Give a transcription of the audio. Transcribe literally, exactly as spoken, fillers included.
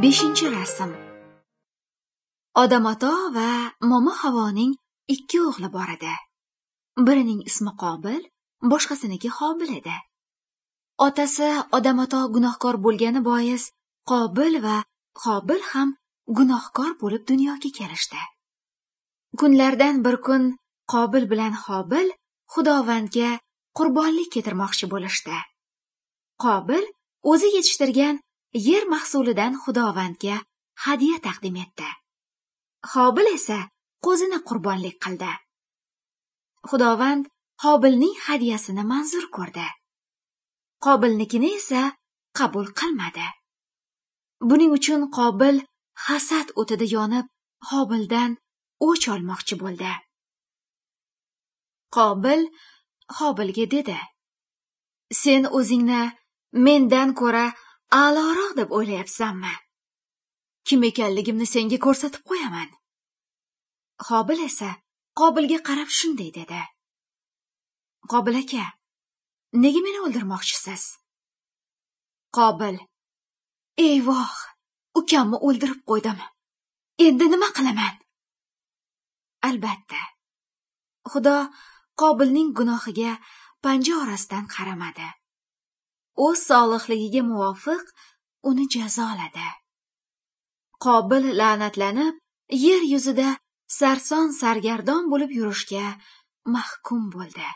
Beshinchi rasm. Odam Ato va Momo Havoning ikki o'g'li bor edi. Birining ismi Qobil, boshqasiniki Hobil edi. Otasi Odam Ato gunohkor bo'lgani bois Qobil va Hobil ham gunohkor bo'lib dunyoga kelishdi. Kunlardan bir kun Qobil bilan Hobil Xudovandga qurbonlik keltirmoqchi bo'lishdi. Qobil o'zi yetishtirgan yer mahsulidan Xudovandga hadya taqdim etdi. Hobil esa qo'zini qurbonlik qildi. Xudovand Hobilning hadyasini manzur ko'rdi. Qobilnikini esa qabul qilmadi. Buning uchun Qobil hasad o'tida yonib, Hobildan o'ch olmoqchi bo'ldi. Qobil Hobilga dedi: "Sen o'zingni mendan ko'ra a'loroq deb o'ylayapsanmi? Kim ekanligimni senga ko'rsatib qo'yaman." Hobil esa Qobilga qarab shunday dedi: "Qobil aka, nega meni o'ldirmoqchisiz?" Qobil: "Eyvoh, ukamni o'ldirib qo'ydim. Endi nima qilaman?" Albatta, Xudo Qobilning gunohiga panja orasidan qaramadi. O'z solihligiga muvofiq uni jazoladi. Qobil la'natlanib, yer yuzida sarson sargardon bo'lib yurishga mahkum bo'ldi.